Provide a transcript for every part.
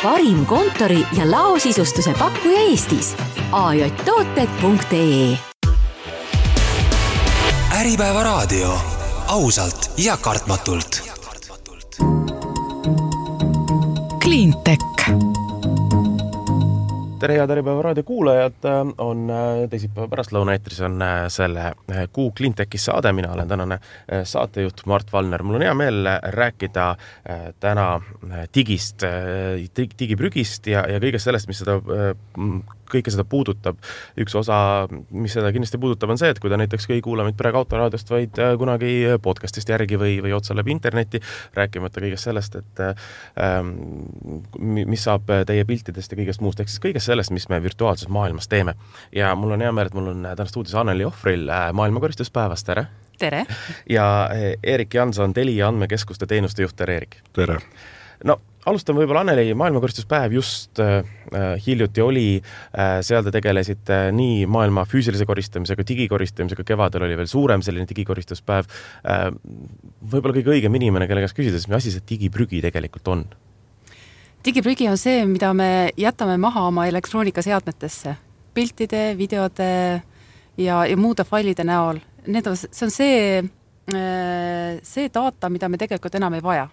parim kontori ja laosisustuse pakkuja Eestis. ajtooted.ee. Äripäeva raadio. Ausalt ja kartmatult. Cleantech. Tere head Äripäeva raadio kuulajad, on teisipäeva pärastlõuna eetris on selle kuu Cleantechis saade. Mina olen tänane saatejuht Mart Valner. Mul on hea meel rääkida täna digist, digiprügist ja kõigest sellest, mis kõike seda puudutab. Üks osa, mis seda kindlasti puudutab, on see, et kui ta näiteks ei kuula meid praegu autoraadiost, vaid kunagi podcastist järgi või otsa läbi interneti, rääkimata kõigest sellest, et mis saab teie piltidest ja kõigest muust, ehk siis kõigest sellest, mis me virtuaalses maailmas teeme. Ja mul on hea meel, et mul on täna stuudios Anneli Ohvril maailmakoristuspäevast, tere! Tere! Ja Erik Janson, Telia andmekeskuste teenuste juht, tere Erik! Tere! No, alustan võib-olla Anneli, maailmakoristuspäev just hiljuti oli, seal te tegelesite nii maailma füüsilise koristamisega, digikoristamisega, kevadel oli veel suurem selline digikoristuspäev. Võib-olla kõige õigem inimene, kelle käest küsides, mis asi see digiprügi tegelikult on? Digiprügi on see, mida me jätame maha oma elektroonikaseadmetesse, piltide, videode ja muude failide näol. See on see data, mida me tegelikult enam ei vaja.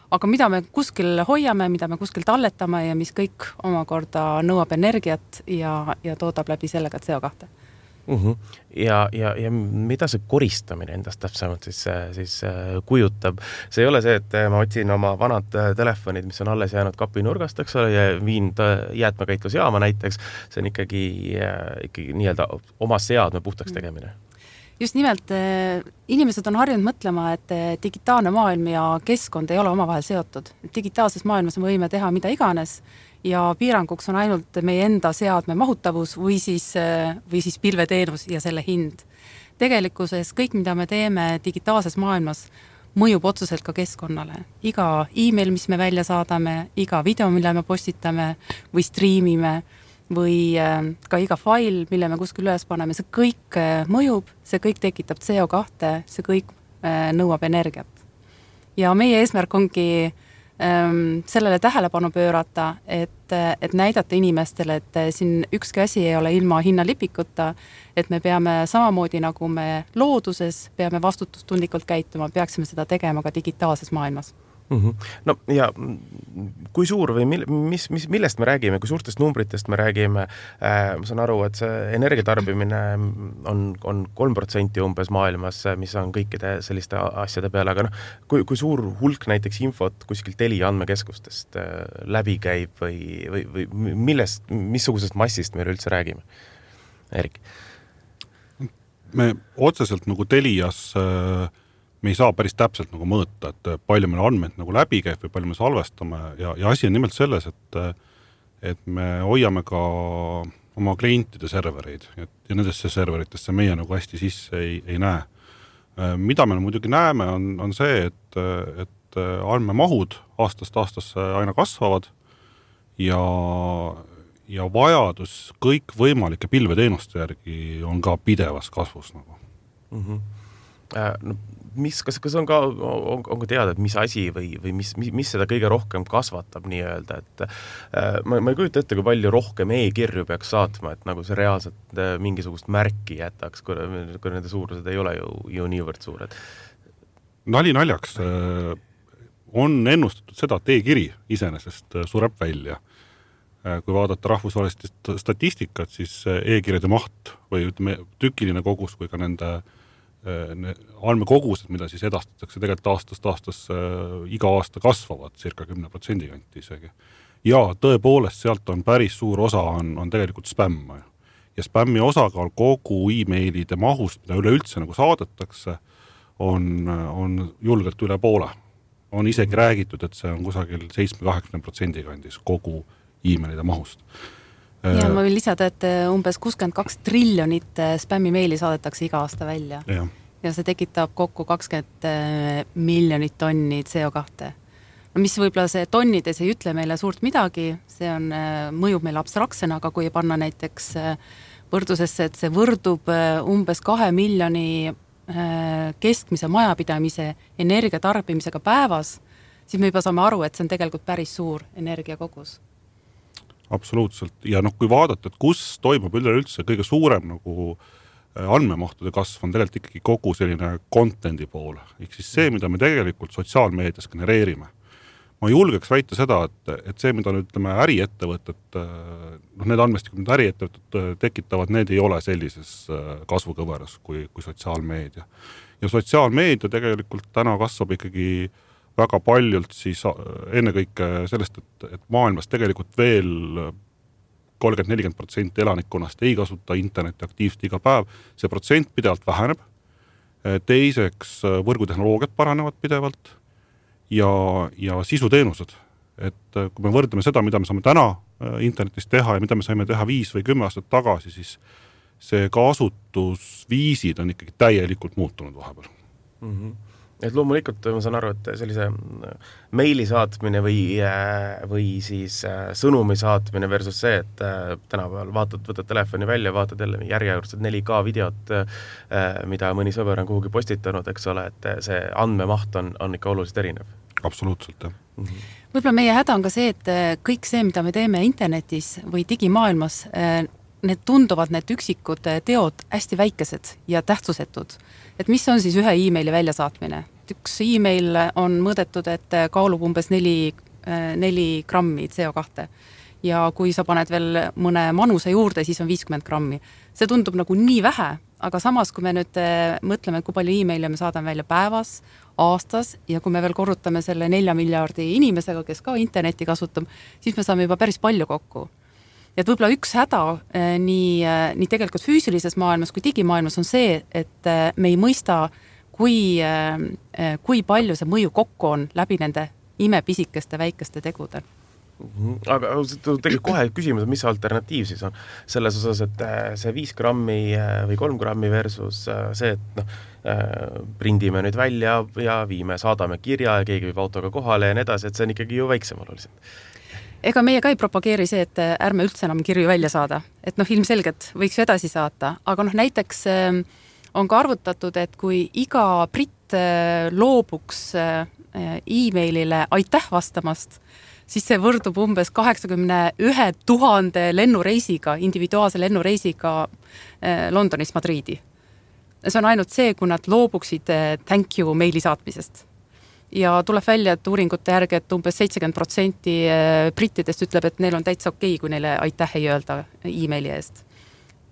Aga mida me kuskil hoiame, mida me kuskil talletame ja mis kõik omakorda nõuab energiat ja toodab läbi sellega CO2. Ja mida see koristamine endast täpsemalt siis kujutab? See ei ole see, et ma otsin oma vanad telefonid, mis on alles jäänud kapinurgast, eks ole, ja viin jäätmekäitlusjaama näiteks. See on ikkagi nii-öelda oma seadme puhtaks tegemine. Just nimelt, inimesed on harjunud mõtlema, et digitaalne maailm ja keskkond ei ole omavahel seotud. Digitaalses maailmas me võime teha mida iganes ja piiranguks on ainult meie enda seadme mahutavus või siis pilveteenus ja selle hind. Tegelikkuses kõik, mida me teeme digitaalses maailmas, mõjub otseselt ka keskkonnale. Iga email, mis me välja saadame, iga video, mille me postitame või striimime, või ka iga fail, mille me kuskil üles paneme, see kõik mõjub, see kõik tekitab CO2, see kõik nõuab energiat. Ja meie eesmärk ongi sellele tähelepanu pöörata, et näidata inimestele, et siin ükski asi ei ole ilma hinnalipikuta, et me peame samamoodi nagu me looduses, peame vastutustundlikult käituma, peaksime seda tegema ka digitaalses maailmas. No ja kui suur või millest me räägime, kui suurtest numbritest me räägime, ma saan aru, et see energiatarbimine on 3% umbes maailmas, mis on kõikide selliste asjade peale, aga kui suur hulk näiteks infot kuskil Telia andmekeskustest läbi käib või missugusest massist me üldse räägime? Erik? Me otseselt nagu Telias me ei saa päris täpselt nagu mõõta, et palju meil andmed nagu läbi käib või palju me salvestame ja asi on nimelt selles, et me hoiame ka oma klientide servereid ja nendesse serveritesse meie nagu hästi sisse ei näe. Mida me muidugi näeme on see, et andmemahud aastast aastasse aina kasvavad ja vajadus kõik võimalike pilveteenuste järgi on ka pidevas kasvus nagu. Kas on ka teada, et mis asi või mis seda kõige rohkem kasvatab nii-öelda, et ma ei kujuta ette, kui palju rohkem e-kirju peaks saatma, et nagu see reaalselt mingisugust märki jätaks, kui nende suurused ei ole ju niivõrd suured. Nali naljaks on ennustatud seda, et e-kiri iseenesest sureb välja. Kui vaadata rahvusvahelist statistikat, siis e-kirjade maht või ütleme, tükiline kogus kui ka nende andmekogused, mida siis edastatakse tegelikult aastast iga aasta kasvavad circa 10% kanti isegi. Ja tõepoolest sealt on päris suur osa on tegelikult spämm. Ja spämmi osakaal kogu e-mailide mahust, mida üleüldse nagu saadetakse, on julgelt üle poole. On isegi räägitud, et see on kusagil 7-80% kandis kogu e-mailide mahust. Ja ma võin lisada, et umbes 62 triljonit spämmimeili saadetakse iga aasta välja. Ja see tekitab kokku 20 miljonit tonni CO2. No, mis võib-olla see tonnides ei ütle meile suurt midagi, see mõjub meile abstraktsena, aga kui panna näiteks võrdusesse, et see võrdub umbes 2 miljoni keskmise majapidamise energiatarbimisega päevas, siis me juba saame aru, et see on tegelikult päris suur energiakogus. Absoluutselt. Ja kui vaadata, et kus toimub üleüldse kõige suurem nagu andmemahtude kasv on tegelikult ikkagi kogu selline content'i poole. Ehk siis see, mida me tegelikult sotsiaalmeedias genereerime. Ma julgeks väita seda, et see, mida nüüd ütleme äriettevõtted, need andmestikud, mida äriettevõtted tekitavad, need ei ole sellises kasvukõveras kui sotsiaalmeedia. Ja sotsiaalmeedia tegelikult täna kasvab ikkagi väga paljult siis ennekõike sellest, et maailmas tegelikult veel 30-40% elanikkonnast ei kasuta interneti aktiivselt iga päev. See protsent pidevalt väheneb. Teiseks võrgutehnoloogiad paranevad pidevalt ja sisuteenused. Et kui me võrdleme seda, mida me saame täna internetis teha ja mida me saime teha 5 või 10 aastat tagasi, siis see kasutusviisid on ikkagi täielikult muutunud vahepeal. Mm-hmm. Et loomulikult ma saan aru, et sellise meili saatmine või siis sõnumi saatmine versus see, et tänapäeval võtad telefoni välja, vaatad jälle järjekordselt 4K videot, mida mõni sõber on kuhugi postitanud, eks ole, et see andmemaht on ikka oluliselt erinev. Absoluutselt, jah. Mm-hmm. Võib-olla meie häda on ka see, et kõik see, mida me teeme internetis või digimaailmas, need tunduvad need üksikud teod hästi väikesed ja tähtsusetud. Et mis on siis ühe e-maili väljasaatmine? Üks e-mail on mõõdetud, et kaalub umbes 4 grammi CO2. Ja kui sa paned veel mõne manuse juurde, siis on 50 grammi. See tundub nagu nii vähe, aga samas, kui me nüüd mõtleme, kui palju e-maile me saadame välja päevas, aastas, ja kui me veel korrutame selle 4 miljardi inimesega, kes ka interneti kasutab, siis me saame juba päris palju kokku. Et võib-olla üks häda nii tegelikult füüsilises maailmas kui digimaailmas on see, et me ei mõista, kui palju see mõju kokku on läbi nende imepisikeste väikeste tegude. Aga tegelikult kohe küsimus, mis alternatiiv siis on selles osas, et see 5 grammi või 3 grammi versus see, et prindime nüüd välja ja saadame kirja ja keegi viib autoga kohale ja nii edasi, et see on ikkagi ju väiksem oluliselt. Ega meie ka ei propageeri see, et ärme üldse enam kirju välja saada. Et ilmselgelt võiks ju edasi saata. Aga näiteks on ka arvutatud, et kui iga britt loobuks e-mailile aitäh vastamast, siis see võrdub umbes 81 000 lennureisiga, individuaalse lennureisiga Londonist Madriidi. See on ainult see, kui nad loobuksid thank you meili saatmisest. Ja tuleb välja, et uuringute järgi, et umbes 70% brittidest ütleb, et neil on täitsa okei, kui neile aitäh ei öelda e-maili eest.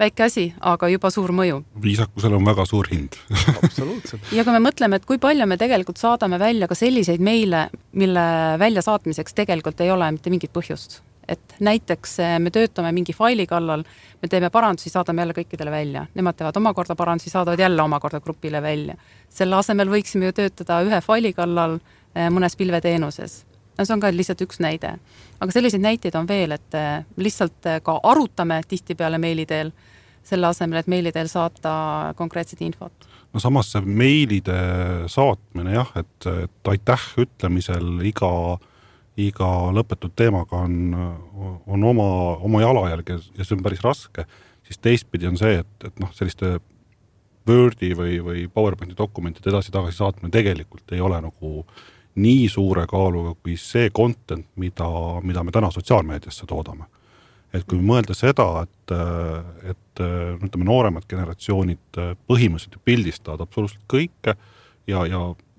Väike asi, aga juba suur mõju. Viisakusel on väga suur hind. Absoluutselt. Ja kui me mõtleme, et kui palju me tegelikult saadame välja ka selliseid meile, mille välja saatmiseks tegelikult ei ole mitte mingit põhjust. Et näiteks me töötame mingi faili kallal, me teeme parandusi, saadame jälle kõikidele välja. Nemad teevad omakorda parandusi, saadavad jälle omakorda grupile välja. Selle asemel võiksime ju töötada ühe faili kallal mõnes pilveteenuses. See on ka lihtsalt üks näide. Aga selliseid näiteid on veel, et lihtsalt ka arutame tihtipeale meilideel, selle asemel, et meilideel saata konkreetset infot. No samas see meilide saatmine, jah, et aitäh ütlemisel iga lõpetud teemaga on oma jalajälg ja see on päris raske, siis teistpidi on see, et selliste Wordi või PowerPointi dokumentide edasi-tagasi saatmine tegelikult ei ole nagu nii suure kaaluga kui see content, mida me täna sotsiaalmeediasse toodame. Et kui mõelda seda, et nooremad generatsioonid põhimõtteliselt pildistavad absoluutselt kõike ja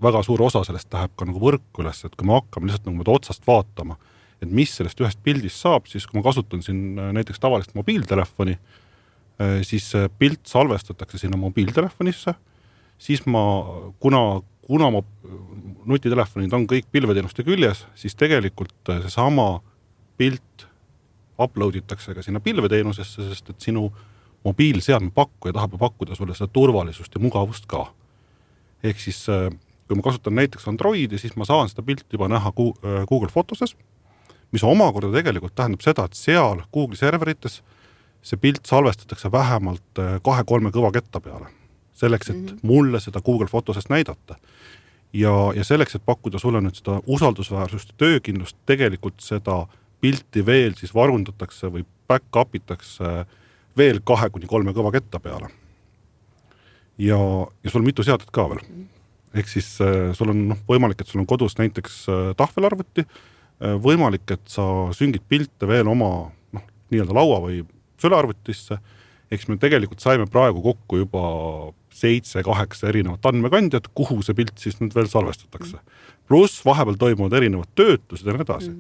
väga suur osa sellest läheb ka nagu võrku üles, et kui me hakkame lihtsalt nagu otsast vaatama, et mis sellest ühest pildist saab, siis kui ma kasutan siin näiteks tavalist mobiiltelefoni, siis pilt salvestatakse sinna mobiiltelefonisse, siis kuna nutitelefonid on kõik pilveteenuste küljes, siis tegelikult see sama pilt uploaditakse ka sinna pilveteenusesse, sest et sinu mobiilseadme pakkuja tahab pakkuda sulle seda turvalisust ja mugavust ka. Ehk siis kui ma kasutan näiteks Androidi, siis ma saan seda pilti juba näha Google Fotoses, mis omakorda tegelikult tähendab seda, et seal Google serverites see pilt salvestatakse vähemalt 2-3 kõvaketta peale. Selleks, et mulle seda Google Fotosest näidata. Ja selleks, et pakkuda sulle nüüd seda usaldusväärsust ja töökindlust, tegelikult seda pilti veel siis varundatakse või back-upitakse veel 2-3 kõvaketta peale. Ja sul on mitu seadet ka veel. Ehk siis sul on võimalik, et sul on kodus näiteks tahvelarvuti, võimalik, et sa süngid pilte veel oma nii-öelda laua või sülearvutisse, eks me tegelikult saime praegu kokku juba 7-8 erinevat andmekandjat, kuhu see pilt siis nüüd veel salvestatakse. Pluss vahepeal toimuvad erinevad töötlused ja nii edasi.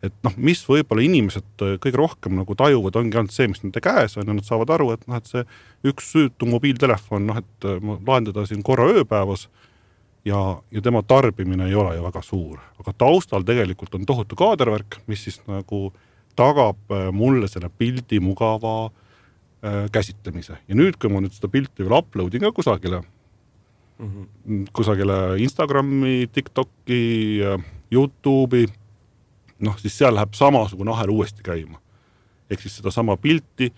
Et mis võib-olla inimesed kõige rohkem nagu tajuvad, ongi ainult see, mis nende käes on, ja nad saavad aru, et, et see üks süütu mobiiltelefon, et ma lahendada siin korra ööpäevas ja tema tarbimine ei ole ju väga suur. Aga taustal tegelikult on tohutu kaadervärk, mis siis nagu tagab mulle selle pildi mugava käsitlemise. Ja nüüd, kui ma nüüd seda pilti veel uploadin ka kusagile Instagrami, TikToki, YouTube'i, siis seal läheb samasugune ahel uuesti käima. Ehk siis seda sama pilti,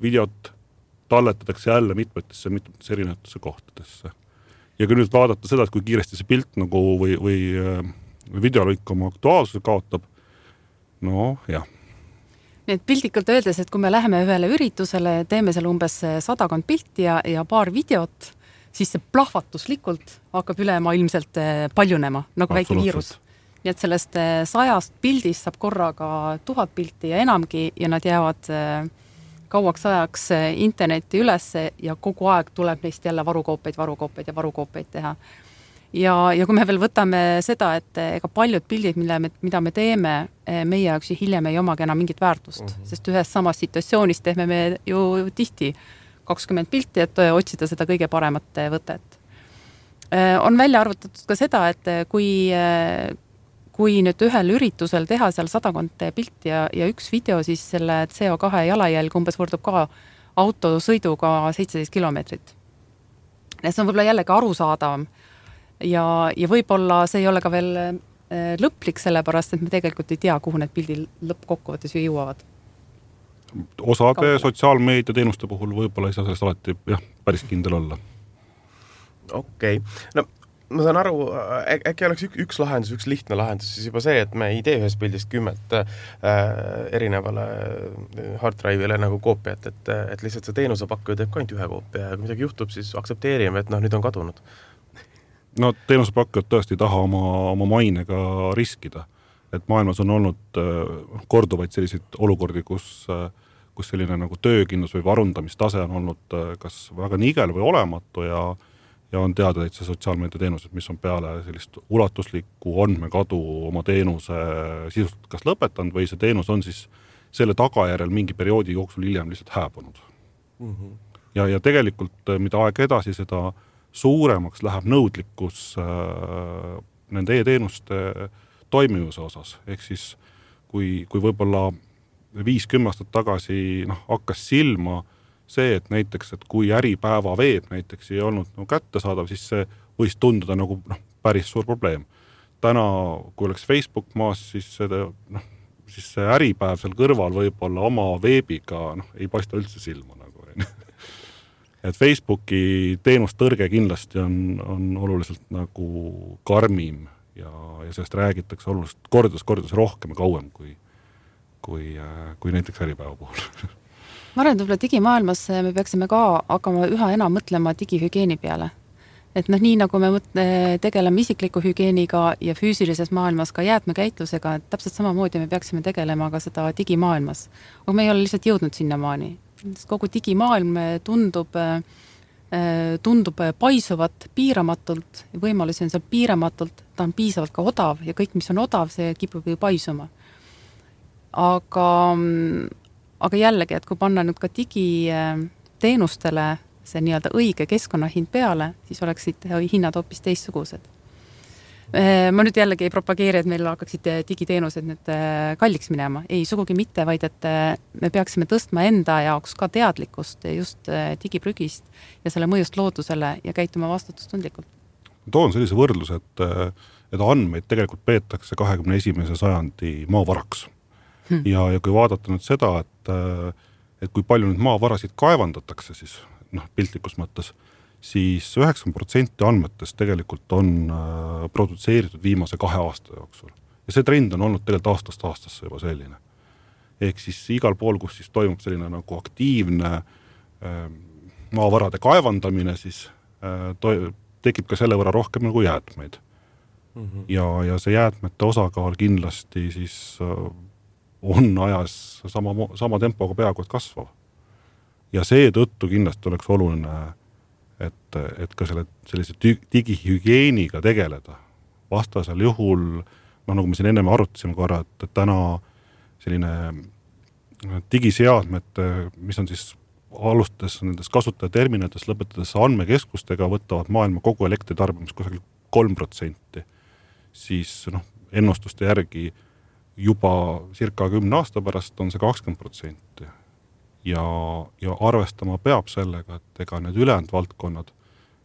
videot talletatakse jälle mitmetesse erinevatesse kohtadesse. Ja kui nüüd vaadata seda, et kui kiiresti see pilt nagu või videolõik oma aktuaalsuse kaotab, jah. Nii et pildikult öeldes, et kui me läheme ühele üritusele, teeme seal umbes 100 pilti ja paar videot, siis see plahvatuslikult hakkab ülemaailmselt paljunema, nagu väike viirus. Nii et sellest 100 pildist saab korraga 1000 pilti ja enamgi ja nad jäävad kauaks ajaks internetti üles ja kogu aeg tuleb neist jälle varukoopeid teha. Ja kui me veel võtame seda, et ega paljud pildid, mida me teeme, meie jaoks hiljem ei omagi enam mingit väärtust, sest ühes samas situatsioonis teeme me ju tihti 20 pilti, et otsida seda kõige paremat võtet. On välja arvutatud ka seda, et kui nüüd ühel üritusel teha seal 100 pilti ja üks video, siis selle CO2 jalajälg umbes võrdub ka autosõiduga 17 kilomeetrit. See on võib-olla jällegi arusaadavam ja võib-olla see ei ole ka veel lõplik, sellepärast, et me tegelikult ei tea, kuhu need pildid lõppkokkuvõttes ju jõuavad. Osade sotsiaalmeedia teenuste puhul võib-olla ei saa sellest alati päris kindel olla. Okei. Ma saan aru, äkki oleks üks lahendus, üks lihtne lahendus, siis juba see, et me ei tee ühest pildist 10 erinevale hard drive'ile nagu koopiat, et lihtsalt see teenusepakkuja teeb ka ainult ühe koopia ja kui midagi juhtub, siis aktsepteerime, et nüüd on kadunud. Teenusepakkujad tõesti ei taha oma mainega riskida. Et maailmas on olnud korduvaid selliseid olukordi, kus selline nagu töökindlus või varundamistase on olnud kas väga nigel või olematu ja on teada, et see sotsiaalmeedia teenused, mis on peale sellist ulatuslikku andmekadu oma teenuse sisust kas lõpetanud või see teenus on siis selle tagajärjel mingi perioodi jooksul hiljem lihtsalt hääbunud. Ja tegelikult, mida aeg edasi, seda suuremaks läheb nõudlikkus nende e-teenuste toimivuse osas. Ehk siis, kui võib-olla 5-10 aastat tagasi hakkas silma see, et näiteks, et kui äripäeva veeb näiteks ei olnud kättesaadav, siis see võis tunduda nagu päris suur probleem. Täna, kui oleks Facebook maas, siis see äripäev seal kõrval võib-olla oma veebiga ei paista üldse silma. Et Facebooki teenustõrge kindlasti on oluliselt nagu karmim ja sellest räägitakse oluliselt kordades rohkem ja kauem kui näiteks äripäeva puhul. Ma arvan, et võib-olla digimaailmas me peaksime ka hakkama üha enam mõtlema digihügieeni peale. Et nii nagu me tegeleme isikliku hügieeniga ja füüsilises maailmas ka jäätmekäitlusega, et täpselt samamoodi me peaksime tegelema ka seda digimaailmas. Aga me ei ole lihtsalt jõudnud sinnamaani. Kogu digimaailm tundub paisuvat piiramatult ja võimalusi on seal piiramatult, ta on piisavalt ka odav ja kõik, mis on odav, see kipub ju paisuma. Aga jällegi, et kui panna nüüd ka digiteenustele see nii-öelda õige keskkonnahind peale, siis oleksid hinnad hoopis teistsugused. Ma nüüd jällegi ei propageeri, et meil hakkaksid digiteenused nüüd kalliks minema. Ei, sugugi mitte, vaid et me peaksime tõstma enda jaoks ka teadlikkust just digiprügist ja selle mõjust loodusele ja käituma vastutustundlikult. Toon sellise võrdluse, et andmeid tegelikult peetakse 21. sajandi maavaraks. Ja kui vaadata nüüd seda, et kui palju nüüd maavarasid kaevandatakse, siis piltlikus mõttes, siis 90% andmetest tegelikult on produtseeritud viimase 2 aasta jooksul. Ja see trend on olnud tegelikult aastast aastasse juba selline. Ehk siis igal pool, kus siis toimub selline nagu aktiivne maavarade kaevandamine, siis tekib ka selle võrra rohkem nagu jäätmeid. Ja see jäätmete osakaal kindlasti siis on ajas sama tempoga peaaegu et kasvav. Ja seetõttu kindlasti oleks oluline, et ka sellise digihügieeniga tegeleda. Vastasel juhul, nagu me siin enne arutasime korra, et täna selline digiseadmed, mis on siis alustades nendes kasutajaterminalites, lõpetades andmekeskustega, võtavad maailma kogu elektritarbimist kusagil 3%. Siis ennustuste järgi juba circa 10 aasta pärast on see 20%. Ja arvestama peab sellega, et ega need ülejäänud valdkonnad,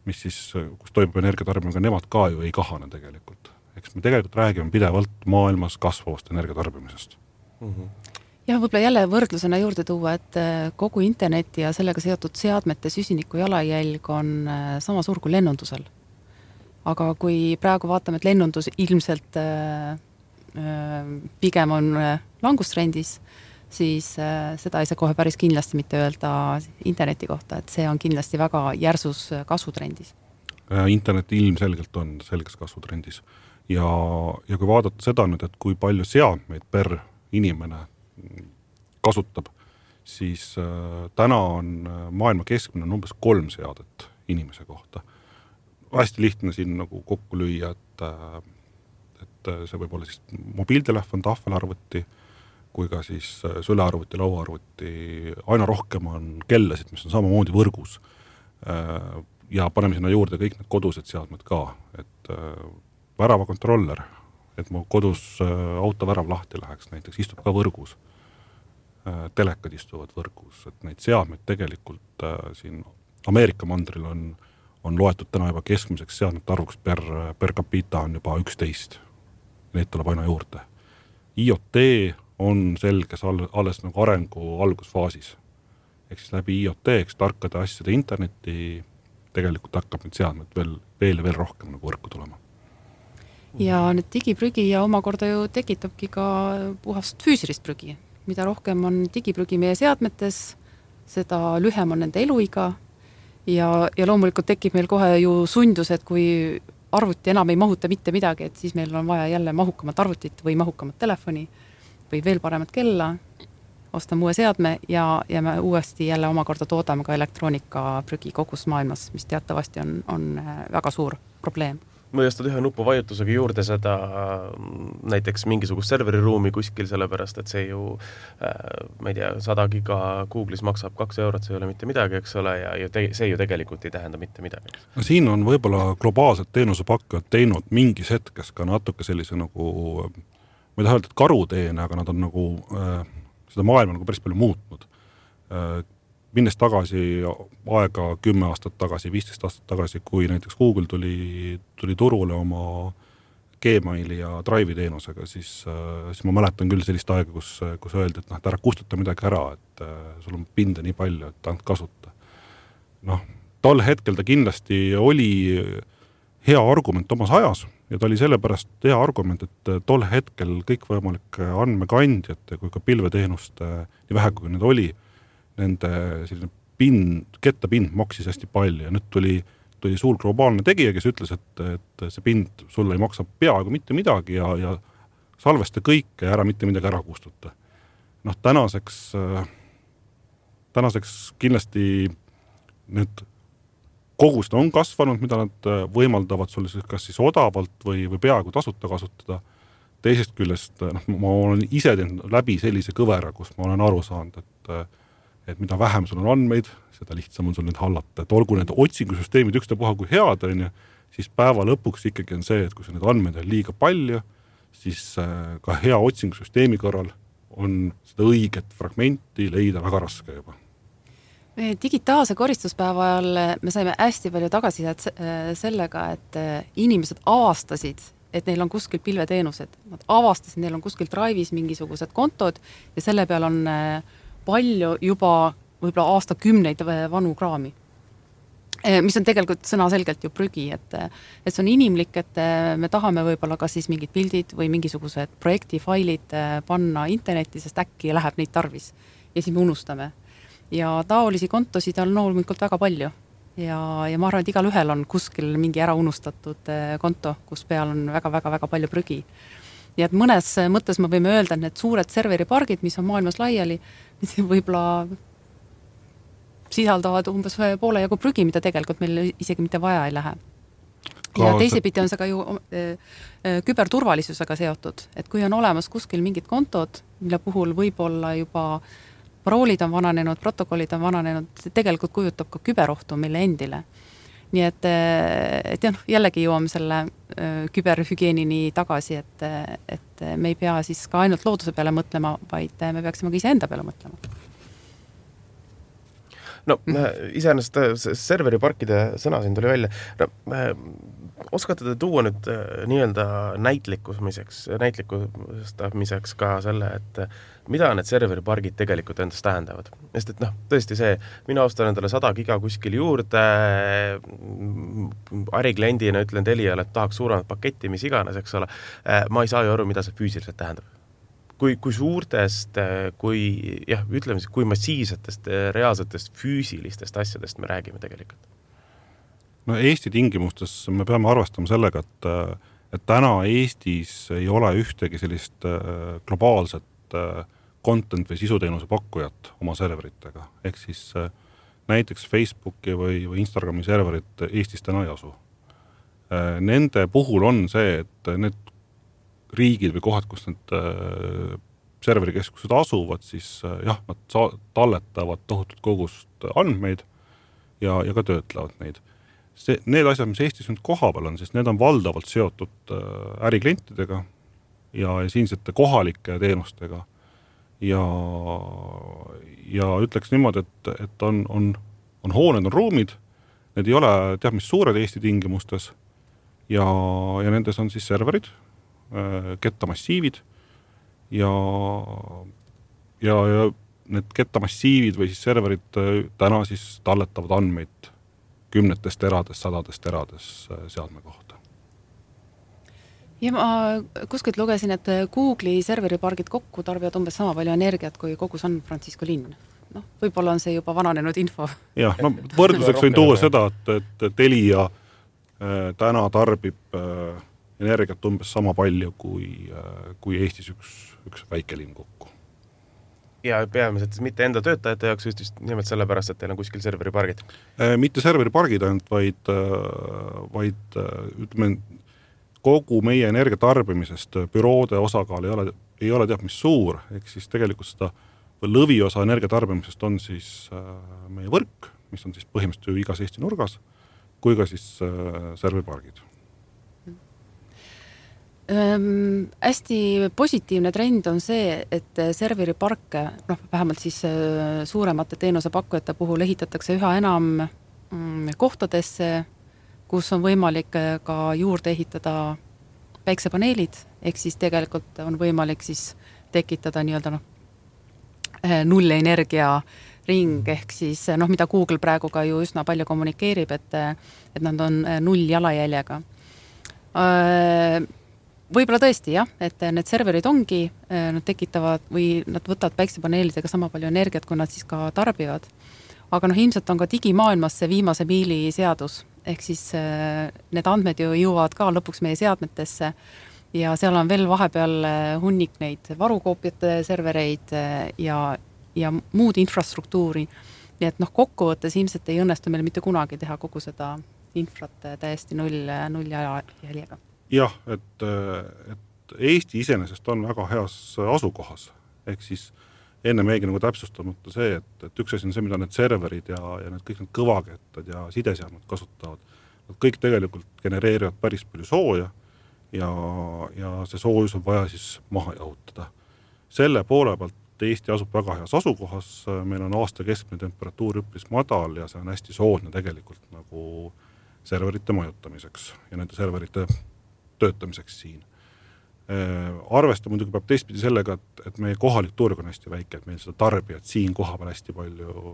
mis siis, kus toimub energiatarbimine, nemad ka ju ei kahane tegelikult. Eks me tegelikult räägime pidevalt maailmas kasvavast energiatarbimisest. Ja võib-olla jälle võrdlusena juurde tuua, et kogu interneti ja sellega seotud seadmete süsiniku jalajälg on sama suur kui lennundusel. Aga kui praegu vaatame, et lennundus ilmselt pigem on langustrendis, siis seda ei saa kohe päris kindlasti mitte öelda interneti kohta, et see on kindlasti väga järsus kasvutrendis. Internet ilmselgelt on selges kasvutrendis. Ja kui vaadata seda nüüd, et kui palju seadmeid per inimene kasutab, siis täna on maailma keskmine umbes 3 seadet inimese kohta. Hästi lihtne siin nagu kokku lüüa, et see võib olla siis mobiiltelefon, tahvelarvuti, kui ka siis sülearvuti, lauaarvuti. Aina rohkem on kellasid, mis on samamoodi võrgus. Ja paneme sinna juurde kõik need kodused seadmed ka, et väravakontroller, et mu kodus autovärav lahti läheks, näiteks istub ka võrgus. Telekad istuvad võrgus, et neid seadmeid tegelikult siin Ameerika mandril on loetud täna juba keskmiseks seadmete arvuks per capita on juba 11. Neid tuleb aina juurde. IoT on selges alles nagu arengu algusfaasis. Ehk siis läbi IoT, tarkade asjade interneti tegelikult hakkab need seadmed veel rohkem nagu võrku tulema. Ja need digiprügi ja omakorda ju tekitabki ka puhast füüsilist prügi. Mida rohkem on digiprügi meie seadmetes, seda lühem on nende eluiga ja loomulikult tekib meil kohe ju sundus, et kui arvuti enam ei mahuta mitte midagi, et siis meil on vaja jälle mahukamat arvutit või mahukamat telefoni või veel paremat kella, ostame uue seadme ja me uuesti jälle omakorda toodame ka elektroonikaprügi kogus maailmas, mis teatavasti on väga suur probleem. Ma jõstad ühe nupu vajutusega juurde seda näiteks mingisugust serveriruumi kuskil, sellepärast, et see ju, ma ei tea, 100 giga Google'is maksab 2 eurot, see ei ole mitte midagi, eks ole, ja see ju tegelikult ei tähenda mitte midagi. No siin on võib-olla globaalsed teenusepakkujad teinud mingis hetkes ka natuke sellise nagu, ma ei taha öelda, et karuteene, aga nad on nagu seda maailma nagu päris palju muutnud. Minnes tagasi aega 10 aastat tagasi, 15 aastat tagasi, kui näiteks Google tuli turule oma Gmaili ja Drive'i teenusega, siis ma mäletan küll sellist aega, kus öeldi, et ära kustuta midagi ära, et sul on pinde nii palju, et ainult kasuta. Tol hetkel ta kindlasti oli hea argument omas ajas ja ta oli sellepärast hea argument, et tol hetkel kõik võimalike andmekandjate kui ka pilveteenuste, nii vähe kui need oli, nende selline kettapind maksis hästi palju ja nüüd tuli suur globaalne tegija, kes ütles, et see pind sulle ei maksa peaaegu mitte midagi ja salvesta kõike ja ära mitte midagi ära kustuta. Tänaseks kindlasti nüüd kogused on kasvanud, mida nad võimaldavad sulle kas siis odavalt või peaaegu tasuta kasutada. Teisest küljest ma olen ise teinud läbi sellise kõvera, kus ma olen aru saanud, et mida vähem sul on andmeid, seda lihtsam on sul nüüd hallata. Et olgu need otsingusüsteemid ükstapuha kui head, siis päeva lõpuks ikkagi on see, et kui need andmeid on liiga palju, siis ka hea otsingusüsteemi korral on seda õiget fragmenti leida väga raske juba. Digitaalse koristuspäeva ajal me saime hästi palju tagasisidet sellega, et inimesed avastasid, et neil on kuskil pilveteenused. Nad avastasid, neil on kuskil Drive'is mingisugused kontod ja selle peal on palju juba võib-olla aastakümneid vanu kraami, mis on tegelikult sõnaselgelt ju prügi, et see on inimlik, et me tahame võib-olla ka siis mingid pildid või mingisugused projektifailid panna internetti, sest äkki läheb neid tarvis ja siis me unustame. Ja taolisi kontosid on loomulikult väga palju ja ma arvan, et igal ühel on kuskil mingi ära unustatud konto, kus peal on väga-väga-väga palju prügi. Nii et mõnes mõttes me võime öelda, et need suured serveripargid, mis on maailmas laiali, võib-olla sisaldavad umbes poole jagu prügi, mida tegelikult meil isegi mitte vaja ei lähe. Ja teisipidi on see ka ju küberturvalisusega seotud, et kui on olemas kuskil mingid kontod, mille puhul võib-olla juba paroolid on vananenud, protokollid on vananenud, see tegelikult kujutab ka küberohtu meile endile. Nii et jällegi jõuame selle küberhügieenini tagasi, et me ei pea siis ka ainult looduse peale mõtlema, vaid me peaksime ka iseenda peale mõtlema. No iseenesest serveriparkide sõna siin tuli välja. No, oskate te tuua nüüd nii-öelda näitlikustamiseks ka selle, et mida need serveripargid tegelikult endast tähendavad? Sest et tõesti see, mina ostan endale 100 giga kuskil juurde, ärikliendina ütlen Teliale, et tahaks suuremat paketti, mis iganes, eks ole. Ma ei saa ju aru, mida see füüsiliselt tähendab. Kui suurtest, kui massiivsetest, reaalsetest, füüsilistest asjadest me räägime tegelikult? No Eesti tingimustes me peame arvestama sellega, et täna Eestis ei ole ühtegi sellist globaalset content või sisuteenuse pakkujat oma serveritega. Ehk siis näiteks Facebooki või Instagrami serverit Eestis täna ei asu. Nende puhul on see, et need riigid või kohad, kus need serverikeskused asuvad, siis nad talletavad tohutut kogust andmeid ja ka töötlevad neid. Need asjad, mis Eestis nüüd kohapeal on, siis need on valdavalt seotud äriklientidega ja siinsete kohalike teenustega. Ja ütleks niimoodi, et on hooned, on ruumid, need ei ole mis suured Eesti tingimustes ja nendes on siis serverid, kettamassiivid ja need kettamassiivid või siis serverid täna siis talletavad andmeid kümnetest eradest, sadadest erades seadme kohta. Ja ma kuskilt lugesin, et Google'i serveripargid kokku tarbivad umbes sama palju energiat kui kogu San Francisco linn. Võib-olla on see juba vananenud info. Jah, võrdluseks võin tuua seda, et Telia täna tarbib energiat umbes sama palju kui Eestis üks väikelinn kokku. Ja peamiselt mitte enda töötajate jaoks just nimelt sellepärast, et teil on kuskil serveripargid? Mitte serveripargid ainult, vaid ütleme, kogu meie energiatarbimisest büroode osakaal ei ole mis suur, ehk siis tegelikult seda lõviosa energiatarbimisest on siis meie võrk, mis on siis põhimõtteliselt igas Eesti nurgas, kui ka siis serveripargid. Hästi positiivne trend on see, et serveriparke, vähemalt siis suuremate teenusepakkujate puhul ehitatakse üha enam kohtadesse, kus on võimalik ka juurde ehitada päiksepaneelid, ehk siis tegelikult on võimalik siis tekitada nii-öelda nullenergia ring, ehk siis mida Google praegu ka ju üsna palju kommunikeerib, et nad on null jalajäljega. Võib-olla tõesti et need serverid ongi, nad tekitavad või nad võtavad päiksepaneelidega sama palju energiat, kui nad siis ka tarbivad. Aga ilmselt on ka digimaailmas see viimase miili seadus, ehk siis need andmed ju jõuavad ka lõpuks meie seadmetesse ja seal on veel vahepeal hunnik neid varukoopiate servereid ja muud infrastruktuuri. Nii et kokkuvõttes ilmselt ei õnnestu meil mitte kunagi teha kogu seda infrat täiesti null jäljega. Jah, et Eesti iseenesest on väga heas asukohas, ehk siis enne meegi täpsustamata see, et üks asi on see, mida need serverid ja need kõik need kõvakettad ja sideseadmed kasutavad. Nad kõik tegelikult genereerivad päris palju sooja ja see soojus on vaja siis maha jahutada. Selle poole pealt Eesti asub väga heas asukohas, meil on aasta keskmine temperatuur üpris madal ja see on hästi soodne tegelikult nagu serverite majutamiseks ja nende serverite töötamiseks siin. Arvesta muidugi peab teistpidi sellega, et meie kohalik turg on hästi väike, et meil seda tarbijat siin kohapeal hästi palju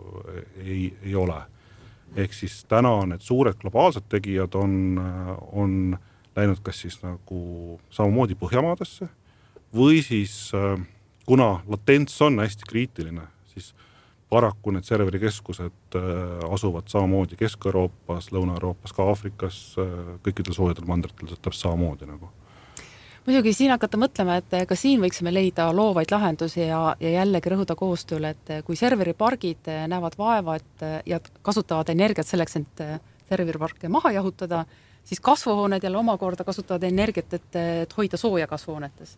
ei ole. Ehk siis täna need suured globaalsed tegijad on läinud kas siis nagu samamoodi Põhjamaadesse või siis kuna latents on hästi kriitiline, siis paraku need serverikeskused asuvad samamoodi Kesk-Euroopas, Lõuna-Euroopas, ka Aafrikas, kõikidel soojadel mandritel täpselt samamoodi nagu. muidugi siin hakata mõtlema, et ka siin võiksime leida loovaid lahendusi ja jällegi rõhuda koostööle, et kui serveripargid näevad vaeva ja kasutavad energiat selleks, et serveriparke maha jahutada, siis kasvuhooned jälle omakorda kasutavad energiat, et hoida sooja kasvuhoonetes.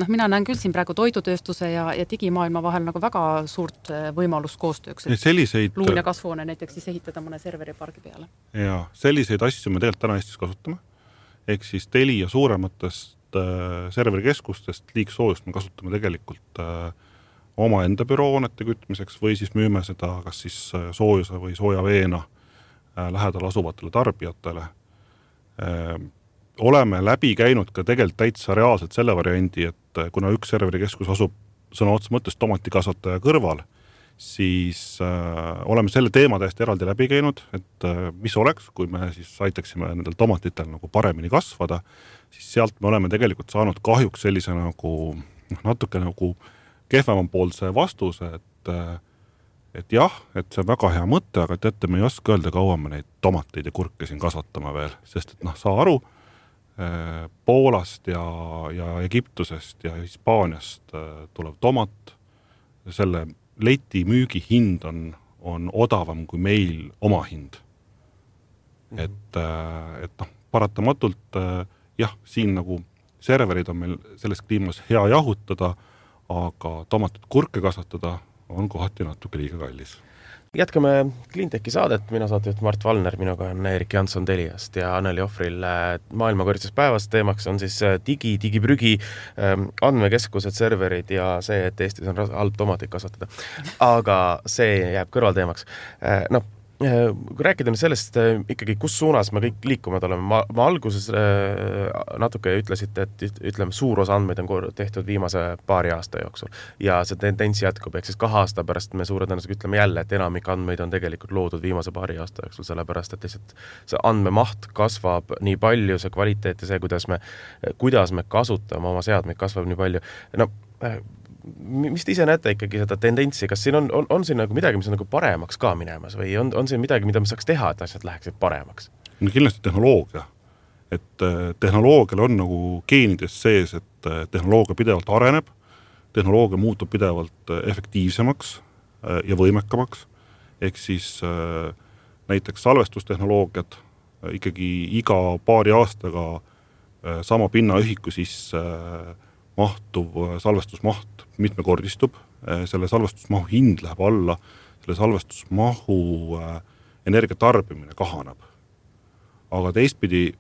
Mina näen küll siin praegu toidutööstuse ja digimaailma vahel nagu väga suurt võimalust koostööks, et luun ja kasvuhoone näiteks siis ehitada mõne serveripargi peale. Ja selliseid asju me tegelikult täna Eestis kasutame. Ehk siis Telia suurematest serverikeskustest liigsoojust me kasutame tegelikult omaenda büroonete kütmiseks või siis müüme seda kas siis soojuse või soojaveena lähedal asuvatele tarbijatele. Oleme läbi käinud ka tegelikult täitsa reaalselt selle variandi, et kuna üks serverikeskus asub sõna otsa mõttes tomatikasvataja kõrval, siis oleme selle teema täiesti eraldi läbi käinud, et mis oleks, kui me siis aitaksime nendel tomatitel nagu paremini kasvada, siis sealt me oleme tegelikult saanud kahjuks sellise nagu natuke nagu kehvemapoolse vastuse, et jah, et see on väga hea mõte, aga teate, me ei oska öelda, kaua me neid tomateid ja kurke siin kasvatama veel, sest et saa aru, Poolast ja Egiptusest ja Hispaaniast tulev tomat, selle leti müügi hind on odavam kui meil oma hind. Et paratamatult jah, siin nagu serverid on meil selles kliimas hea jahutada, aga tomatit kurke kasvatada on kohati natuke liiga kallis. Jätkame Cleantechi saadet, mina saatejuht Mart Valner, minuga on Erik Jansson Teliast ja Anneli Ohvril maailmakorises päevas. Teemaks on siis digiprügi, andmekeskused, serverid ja see, et Eestis on halb tomatit kasvatada. Aga see jääb kõrvalteemaks. Kui rääkida sellest ikkagi, kus suunas me kõik liikuvad oleme, ma alguses natuke ütlesite, et ütleme, suur osa andmeid on tehtud viimase paari aasta jooksul ja see tendents jätkub, ehk siis 2 aasta pärast me suure tõenäoliselt ütleme jälle, et enamik andmeid on tegelikult loodud viimase paari aasta jooksul, sellepärast, et lihtsalt see andmemaht kasvab nii palju, see kvaliteet ja see, kuidas me kasutame oma seadmeid, kasvab nii palju. Mis te ise näete ikkagi seda tendentsi, kas siin on siin nagu midagi, mis on nagu paremaks ka minemas või on siin midagi, mida me saaks teha, et asjad läheksid paremaks? Kindlasti tehnoloogia. Et tehnoloogial on nagu geenides sees, et tehnoloogia pidevalt areneb, tehnoloogia muutub pidevalt efektiivsemaks ja võimekamaks. Ehk siis näiteks salvestustehnoloogiad ikkagi iga paari aastaga sama pinnaühiku sisse mahtuv salvestusmaht mitmekordistub, selle salvestusmahu hind läheb alla, selle salvestusmahu energiatarbimine kahaneb. Aga teistpidi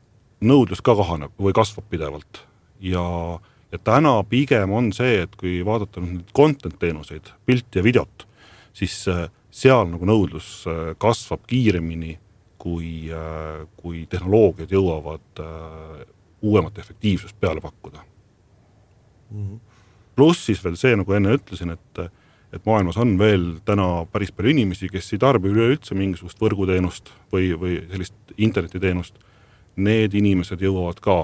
nõudlus ka kahaneb või kasvab pidevalt. Ja täna pigem on see, et kui vaadata nüüd content-teenuseid, pilti ja videot, siis seal nagu nõudlus kasvab kiiremini, kui tehnoloogiad jõuavad uuemat efektiivsust peale pakkuda. Pluss siis veel see, nagu enne ütlesin, et maailmas on veel täna päris palju inimesi, kes ei tarbi üleüldse mingisugust võrguteenust või sellist internetiteenust. Need inimesed jõuavad ka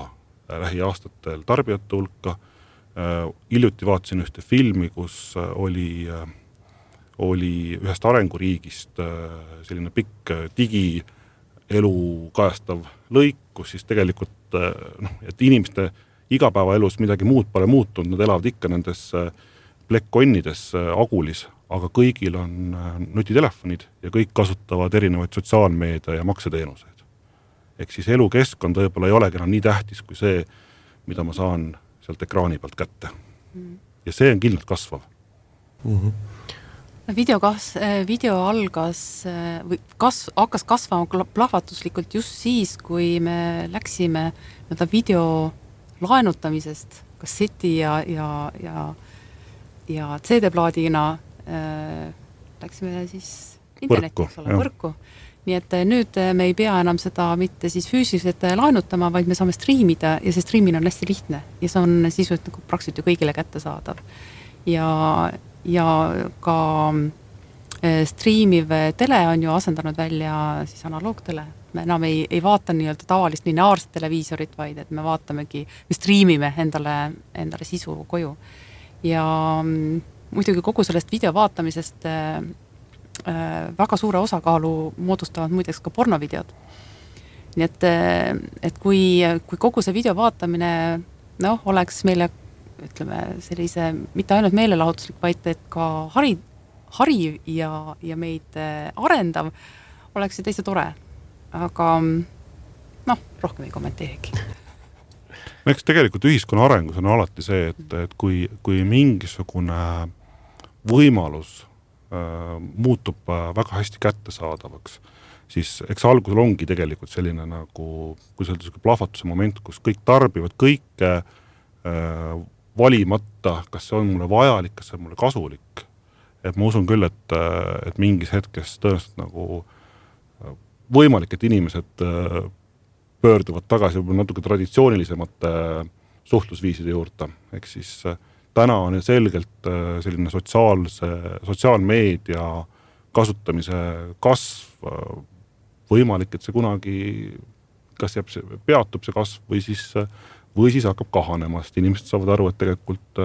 lähiaastatel tarbijate hulka. Hiljuti vaatasin ühte filmi, kus oli ühest arenguriigist selline pikk digielu kajastav lõik, kus siis tegelikult et inimeste igapäevaelus midagi muud pole muutunud, nad elavad ikka nendes plekkonnides Agulis, aga kõigil on nutitelefonid ja kõik kasutavad erinevaid sotsiaalmeedia ja makseteenuseid. Ehk siis elukeskkond võib-olla ei olegi enam nii tähtis kui see, mida ma saan sealt ekraani pealt kätte. Ja see on kindlalt kasvav. Video algas või hakkas kasvama plahvatuslikult just siis, kui me läksime video laenutamisest kasseti ja CD-plaadina läksime siis internetti, võrku. Nii et nüüd me ei pea enam seda mitte siis füüsiliselt laenutama, vaid me saame striimida ja see striimina on hästi lihtne ja see on sisuliselt nagu praktiliselt ju kõigile kättesaadav. Ja ka striimiv tele on ju asendanud välja siis analoogtele. Me enam ei vaata nii-öelda tavalist lineaarset televiisorit, vaid et me vaatamegi, me striimime endale sisu koju. Ja muidugi kogu sellest video vaatamisest väga suure osakaalu moodustavad muideks ka pornovideod. Nii et kui kogu see video vaatamine oleks meile, ütleme, sellise, mitte ainult meelelahutuslik, vaid et ka hariv ja meid arendav, oleks see täitsa tore. Aga rohkem ei kommenteerigi. Eks tegelikult ühiskonna arengus on alati see, et kui mingisugune võimalus muutub väga hästi kättesaadavaks, siis eks algusel ongi tegelikult selline nagu, kui see on plahvatuse moment, kus kõik tarbivad kõike valimata, kas see on mulle vajalik, kas see on mulle kasulik. Et ma usun küll, et mingis hetkes tõenäoliselt nagu võimalik, et inimesed pöörduvad tagasi natuke traditsioonilisemate suhtlusviiside juurde. Ehk siis täna on selgelt selline sotsiaalmeedia kasutamise kasv võimalik, et see kunagi kas peatub see kasv või siis hakkab kahanema, sest inimesed saavad aru, et tegelikult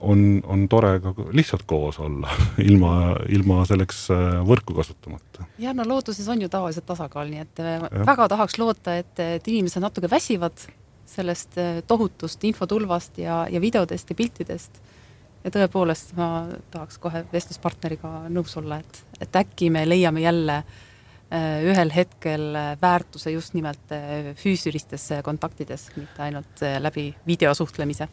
on tore ka lihtsalt koos olla, ilma selleks võrku kasutamata. Ja looduses on ju tavaliselt tasakaal, nii et väga tahaks loota, et inimesed natuke väsivad sellest tohutust infotulvast ja videodest ja piltidest. Ja tõepoolest ma tahaks kohe vestluspartneriga nõus olla, et äkki me leiame jälle ühel hetkel väärtuse just nimelt füüsilistes kontaktides, mitte ainult läbi videosuhtlemise.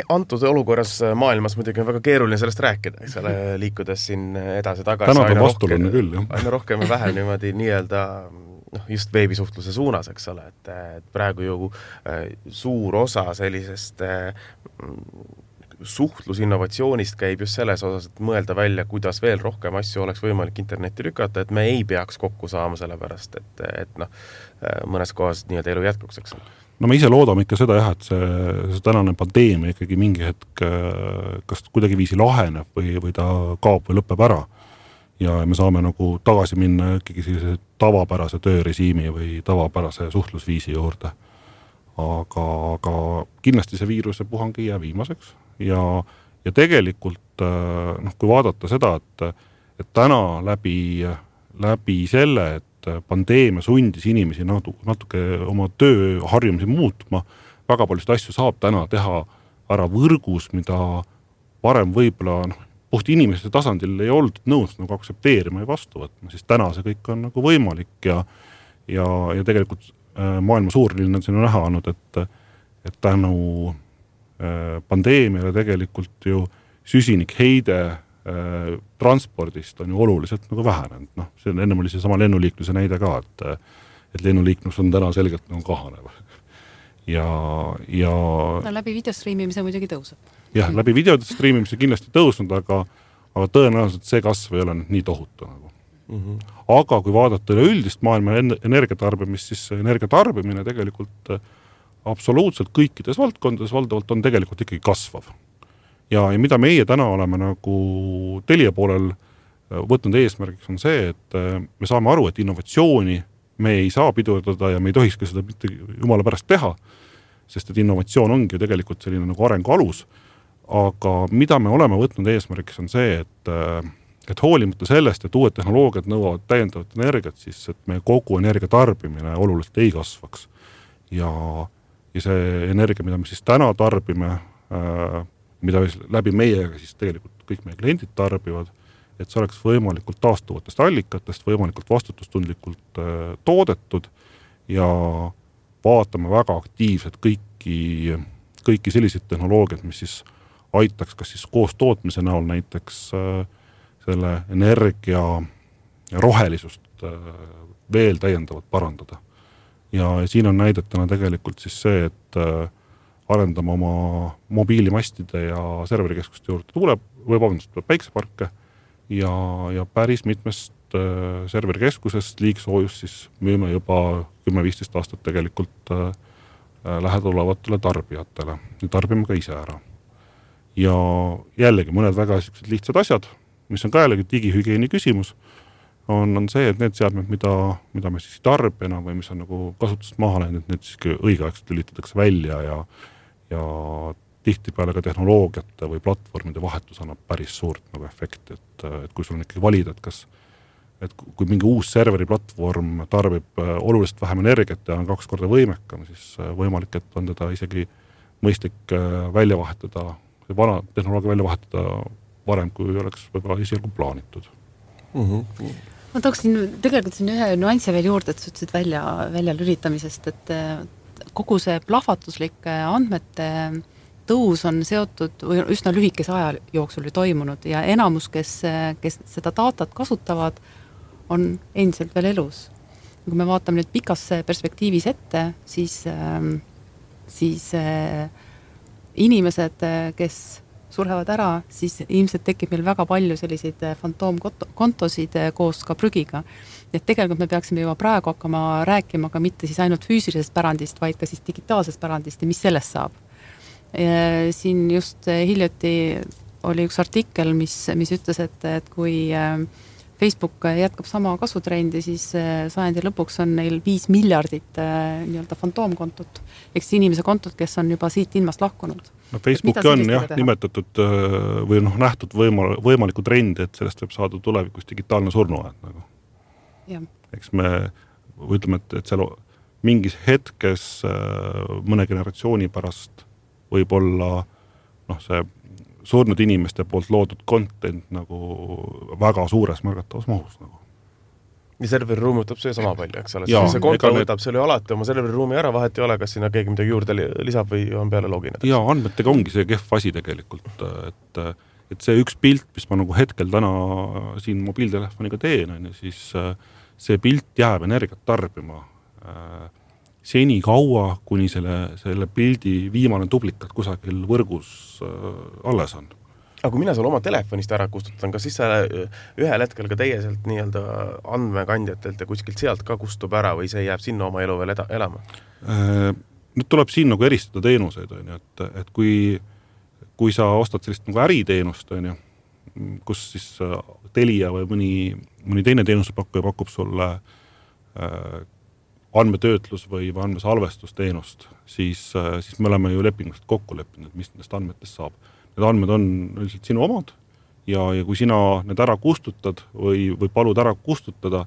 Antud olukorras maailmas muidugi on väga keeruline sellest rääkida, eks ole, liikudes siin edasi-tagasi. Täna ta vastulunne küll, jah. Aina rohkem ja vähem niimoodi nii-öelda just veebisuhtluse suunas, eks ole, et praegu ju suur osa sellisest suhtlusinnovatsioonist käib just selles osas, et mõelda välja, kuidas veel rohkem asju oleks võimalik internetti lükata, et me ei peaks kokku saama sellepärast, et mõnes kohas nii-öelda elu jätkuks, eks ole. Me ise loodame ikka seda, et see tänane pandeemia ikkagi mingi hetk kas kuidagi viisi laheneb või ta kaob või lõpeb ära. Ja me saame nagu tagasi minna ikkagi sellise tavapärase töörežiimi või tavapärase suhtlusviisi juurde. Aga kindlasti see viiruse puhang ei jää viimaseks. Ja tegelikult, kui vaadata seda, et täna läbi selle, et pandeemia sundis inimesi natuke oma tööharjumisi muutma, väga paljust asju saab täna teha ära võrgus, mida varem võib-olla puht inimeste tasandil ei olnud nõus nagu aksepteerima ja vastu võtma, siis täna see kõik on nagu võimalik ja tegelikult maailma suurlinnad siin on näha olnud, et tänu pandeemiale tegelikult ju süsinikheide transpordist on ju oluliselt nagu vähenenud. See ennem oli see sama lennuliikluse näide ka, et lennuliiklus on täna selgelt nagu kahanev. Läbi videostriimimise muidugi tõuseb. Jah, läbi videostriimimise kindlasti tõusnud, aga tõenäoliselt see kasv ei ole nii tohutu nagu. Aga kui vaadata üleüldist maailma energiatarbimist, siis energiatarbimine tegelikult absoluutselt kõikides valdkondades valdavalt on tegelikult ikkagi kasvav. Ja mida meie täna oleme nagu Telia poolel võtnud eesmärgiks on see, et me saame aru, et innovatsiooni me ei saa pidurdada ja me ei tohiks ka seda mitte jumala pärast teha, sest et innovatsioon ongi ju tegelikult selline nagu arengu alus. Aga mida me oleme võtnud eesmärgiks on see, et hoolimata sellest, et uued tehnoloogiad nõuavad täiendavat energiat, siis et me kogu energia tarbimine oluliselt ei kasvaks. Ja see energia, mida me siis täna tarbime, mida läbi meiega siis tegelikult kõik meie kliendid tarbivad, et see oleks võimalikult taastuvatest allikatest, võimalikult vastutustundlikult toodetud ja vaatame väga aktiivselt kõiki selliseid tehnoloogiad, mis siis aitaks kas siis koos tootmise näol näiteks selle energia rohelisust veel täiendavalt parandada. Ja siin on näidetena tegelikult siis see, et arendame oma mobiilimastide ja serverikeskuste juurde päikseparke ja päris mitmest serverikeskusest liigsoojust siis müüme juba 10-15 aastat tegelikult lähedulevatele tarbijatele ja tarbime ka ise ära. Ja jällegi mõned väga lihtsad asjad, mis on ka jällegi digihügieeni küsimus, on see, et need seadmed, mida me siis tarbijana või mis on nagu kasutust maha läinud, need siis õigeaegselt lülitatakse välja ja tihtipeale ka tehnoloogiate või platvormide vahetus annab päris suurt nagu efekti, et kui sul on ikkagi valida, et kui mingi uus serveri platvorm tarbib oluliselt vähem energiat ja on 2 korda võimekam, siis võimalik, et on teda isegi mõistlik välja vahetada, see vana tehnoloogia välja vahetada varem, kui oleks võib-olla esialgu plaanitud. Ma tooksin tegelikult siin ühe nüansi veel juurde, et sa ütlesid välja lülitamisest, et kogu see plahvatuslik andmete tõus on seotud või üsna lühikese aja jooksul toimunud ja enamus, kes seda datat kasutavad, on endiselt veel elus. Kui me vaatame nüüd pikas perspektiivis ette, siis inimesed, kes surhevad ära, siis ilmselt tekib meil väga palju selliseid fantoomkontosid koos ka prügiga. Et tegelikult me peaksime juba praegu hakkama rääkima ka mitte siis ainult füüsilisest pärandist, vaid ka siis digitaalsest pärandist ja mis sellest saab. Siin just hiljuti oli üks artikkel, mis ütles, et kui Facebook jätkab sama kasvutrendi, siis sajandi lõpuks on neil 5 miljardit nii-öelda fantoomkontot, ehk siis inimese kontot, kes on juba siit ilmast lahkunud. No Facebooki on nimetatud või nähtud võimalikku trendi, et sellest võib saada tulevikus digitaalne surnuaed. Nagu. Eks me ütleme, et seal mingis hetkes mõne generatsiooni pärast võib olla see surnud inimeste poolt loodud content nagu väga suures märgatavas mahus. Nagu. Ja serveriruumi võtab see sama palju, eks ole. See konto võtab selle alati oma serveriruumi ära, vahet ei ole, kas sinna keegi midagi juurde lisab või on peale login. Ja andmetega ongi see kehv asi tegelikult, et see üks pilt, mis ma nagu hetkel täna siin mobiiltelefoniga teen, siis see pilt jääb energiat tarbima seni kaua, kuni selle pildi viimane duplikat kusagil võrgus alles on. Aga kui mina seal oma telefonist ära kustutan, kas siis ühel hetkel ka teie sealt nii-öelda andmekandjatelt ja kuskilt sealt ka kustub ära või see jääb sinna oma elu veel elama? Nüüd tuleb siin nagu eristada teenuseid, et kui sa ostad sellist nagu äriteenust, kus siis Telia või mõni teine teenusepakkuja pakub sulle andmetöötlus või andmesalvestusteenust, siis me oleme ju lepingust kokku leppinud, mis nendest andmetest saab. Need andmed on üldiselt sinu omad ja kui sina need ära kustutad või palud ära kustutada,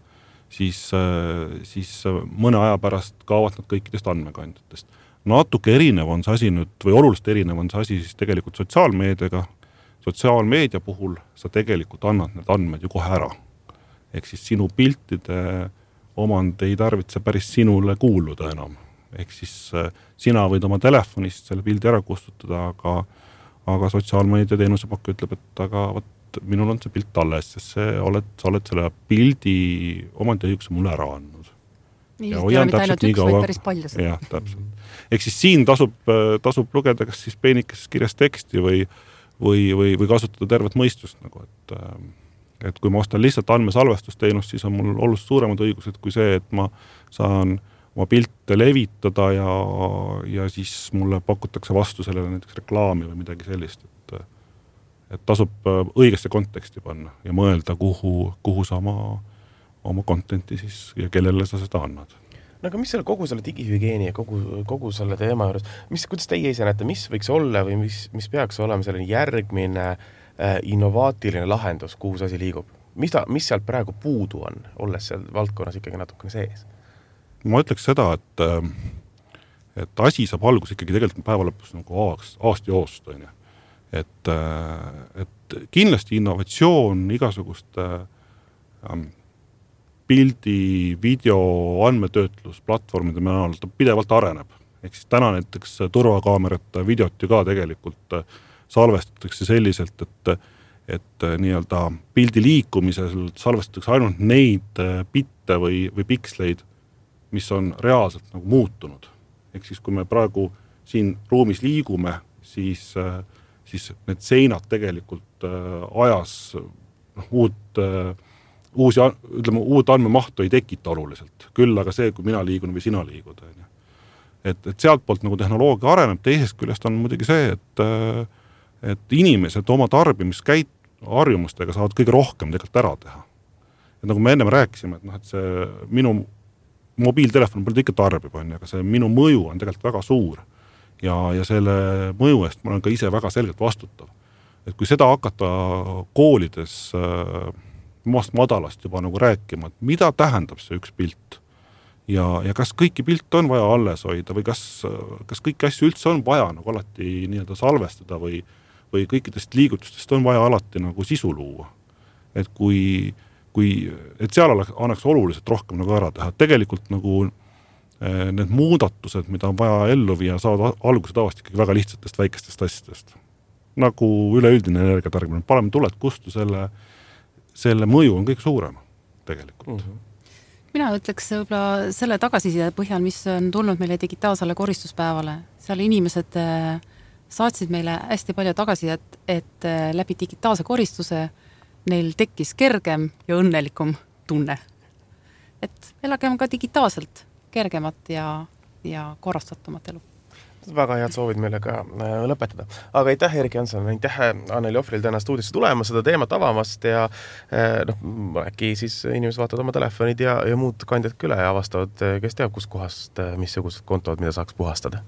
siis mõne aja pärast kaovad nad kõikidest andmekandjatest. Natuke erinev on see asi nüüd, või oluliselt erinev on see asi siis tegelikult sotsiaalmeediaga. Sotsiaalmeedia puhul sa tegelikult annad need andmed ju kohe ära. Ehk siis sinu piltide omand ei tarvitse päris sinule kuuluda enam. Ehk siis sina võid oma telefonist selle pildi ära kustutada, aga sotsiaalmeedia teenusepakkuja ütleb, et aga minul on see pilt alles, sest sa oled selle pildi omandiõiguse mulle ära andnud. Ja hoian täpselt nii kaua. Jah, täpselt. Ehk siis siin tasub lugeda kas siis peenikeses kirjas teksti või kasutada tervet mõistust. Nagu, et kui ma ostan lihtsalt andmesalvestusteenust, siis on mul oluliselt suuremad õigused kui see, et ma saan oma pilte levitada ja siis mulle pakutakse vastu sellele näiteks reklaami või midagi sellist, et tasub õigesse konteksti panna ja mõelda, kuhu sa oma contenti siis ja kellele sa seda annad. No aga mis kogu selle digihügieeni ja kogu selle teema juures, kuidas teie ise näete, mis võiks olla või mis peaks olema selline järgmine innovaatiline lahendus, kuhu see asi liigub? Mis sealt praegu puudu on, olles seal valdkonnas ikkagi natukene sees? Ma ütleks seda, et asi saab algus ikkagi tegelikult päeva lõpus nagu aasta joost. Et kindlasti innovatsioon igasuguste pildi, video, andmetöötlus, platvormide näol pidevalt areneb. Ehk siis täna näiteks turvakaamerate videot ju ka tegelikult salvestatakse selliselt, et nii-öelda pildi liikumisel salvestatakse ainult neid bitte või piksleid, mis on reaalselt nagu muutunud. Ehk siis kui me praegu siin ruumis liigume, siis need seinad tegelikult ajas uut andmemahtu ei tekita oluliselt. Küll aga see, kui mina liigun või sina liigud. Et sealt poolt nagu tehnoloogia areneb, teisest küljest on muidugi see, et inimesed oma harjumustega saavad kõige rohkem tegelikult ära teha. Et nagu me ennem rääkisime, et see minu mobiiltelefon pole ikka tarbib, aga see minu mõju on tegelikult väga suur ja selle mõju eest ma olen ka ise väga selgelt vastutav. Et kui seda hakata koolides madalast juba nagu rääkima, et mida tähendab see üks pilt ja kas kõiki pilte on vaja alles hoida või kas kõiki asju üldse on vaja nagu alati nii-öelda salvestada või kõikidest liigutustest on vaja alati nagu sisu luua. Et et seal annaks oluliselt rohkem nagu ära teha. Tegelikult nagu need muudatused, mida on vaja ellu viia, saavad alguse tavaliselt ikkagi väga lihtsatest väikestest asjadest. Nagu üleüldine energiatarbimine. Paneme tuled kustu, selle mõju on kõik suurem tegelikult. Mina ütleks võib-olla selle tagasiside põhjal, mis on tulnud meile digitaalsele koristuspäevale. Seal inimesed saatsid meile hästi palju tagasisidet, et läbi digitaalse koristuse neil tekkis kergem ja õnnelikum tunne. Et elagem ka digitaalselt kergemat ja korrastatumat elu. Väga head soovid meile ka lõpetada. Aga aitäh, Erik Janson, aitäh Anneli Ohvril täna stuudisse tulema, seda teemat avamast ja äkki siis inimesed vaatavad oma telefonid ja muud kandjad üle ja avastavad, kes teab, kus kohast, missugused kontod, mida saaks puhastada.